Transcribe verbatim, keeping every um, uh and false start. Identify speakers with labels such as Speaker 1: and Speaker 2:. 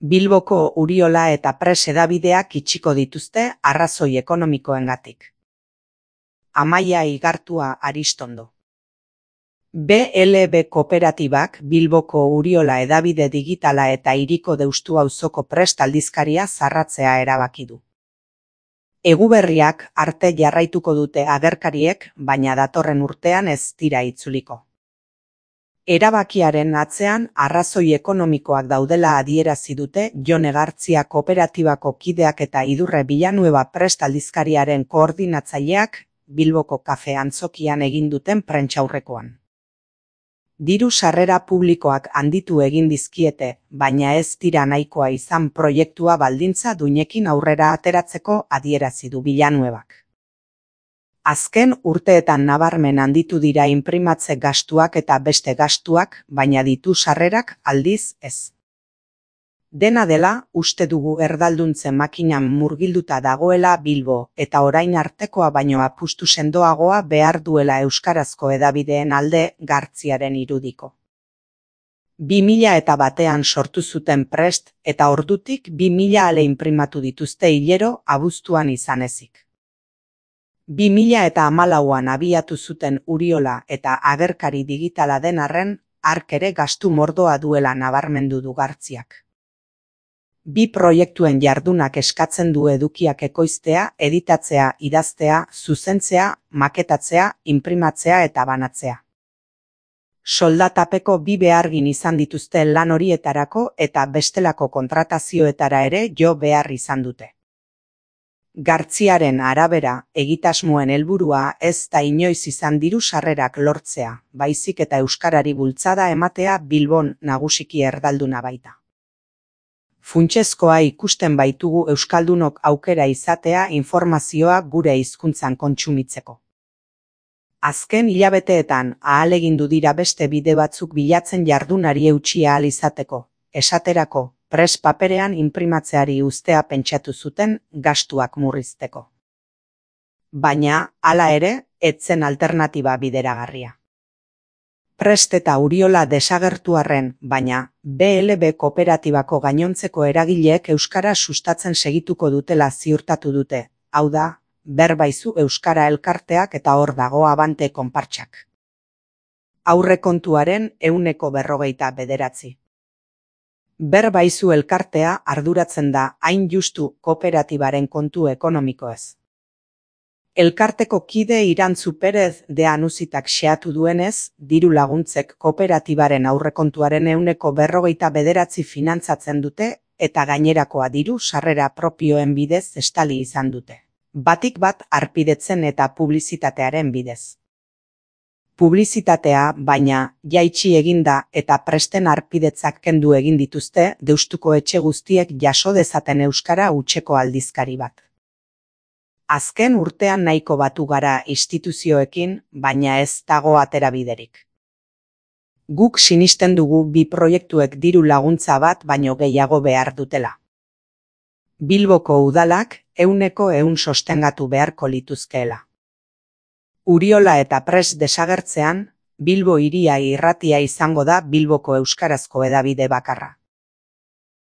Speaker 1: Bilboko Uriola eta Press hedabideak itxiko dituzte arrazoi ekonomikoengatik. Amaia Igartua Aristondo. B L B Kooperatibak Bilboko Uriola hedabide digitala eta Hiriko Deustu auzoko Prest aldizkaria zarratzea erabaki du. Eguberriak arte jarraituko dute agerkariek, baina datorren urtean ez dira itzuliko. Erabakiaren atzean arrazoi ekonomikoak daudela adierazi dute Jon Egartzia kooperatibako kideak eta Idurre Villanueva Prest aldizkariaren koordinatzaileak Bilboko kafe antzokian egin duten prentsaurrekoan. Diru sarrera publikoak handitu egin dizkiete, baina ez dira nahikoa izan proiektua baldintza duinekin aurrera ateratzeko adierazi du Villanuevak. Azken urteetan nabarmen handitu dira inprimatze gastuak eta beste gastuak, baina ditu sarrerak aldiz ez. Dena dela, uste dugu erdalduntzen makinan murgilduta dagoela Bilbo, eta orain artekoa baino apustu sendoagoa behar duela euskarazko hedabideen alde Gartziaren irudiko. Bi mila eta batean sortu zuten Prest, eta ordutik bi mila ale inprimatu dituzte hilero abuztuan izan ezik. Bi mila eta hamalauan abiatu zuten Uriola eta agerkari digitala den arren, hark ere gastu mordoa duela nabarmendu du Gartziak. Bi proiektuen jardunak eskatzen du edukiak ekoiztea, editatzea, idaztea, zuzentzea, maketatzea, inprimatzea eta banatzea. Soldatapeko bi behargin izan dituzte lan horietarako eta bestelako kontratazioetara ere jo behar izan dute. Gartziaren arabera, egitasmoen helburua ez da inoiz izan diru sarrerak lortzea, baizik eta euskarari bultzada ematea Bilbon nagusiki erdalduna baita. Funtsezkoa ikusten baitugu euskaldunok aukera izatea informazioa gure hizkuntzan kontsumitzeko. Azken hilabeteetan ahalegindu dira beste bide batzuk bilatzen jardunari eutsi ahal izateko, esaterako, Prest paperean inprimatzeari uztea pentsatu zuten gastuak murrizteko. Baina, hala ere, ez zen alternatiba bideragarria. Prest eta Uriola desagertu arren, baina B L B Kooperatibako gainontzeko eragileek euskara sustatzen segituko dutela ziurtatu dute, hau da, Berbaizu Euskara Elkarteak eta hor dago Abante konpartsak. Aurrekontuaren ehuneko berrogeita bederatzi. Berbaizu Elkartea arduratzen da hain justu kooperatibaren kontu ekonomikoez. Elkarteko kide Irantzu Perez de Anuzitak xeatu duenez, diru laguntzek kooperatibaren aurrekontuaren ehuneko berrogeita bederatzi finantzatzen dute eta gainerakoa diru sarrera propioen bidez estali izan dute. Batik bat harpidetzen eta publizitatearen bidez. Publizitatea, baina, jaitsi eginda eta Presten harpidetzak kendu egin dituzte Deustuko etxe guztiek jaso dezaten euskara hutseko aldizkari bat. Azken urtean nahiko batu gara instituzioekin, baina ez dago aterabiderik. Guk sinisten dugu bi proiektuek diru laguntza bat baino gehiago behar dutela. Bilboko udalak ehuneko ehun sostengatu beharko lituzkeela. Uriola eta Prest desagertzean, Bilbo hiria irratia izango da Bilboko euskarazko hedabide bakarra.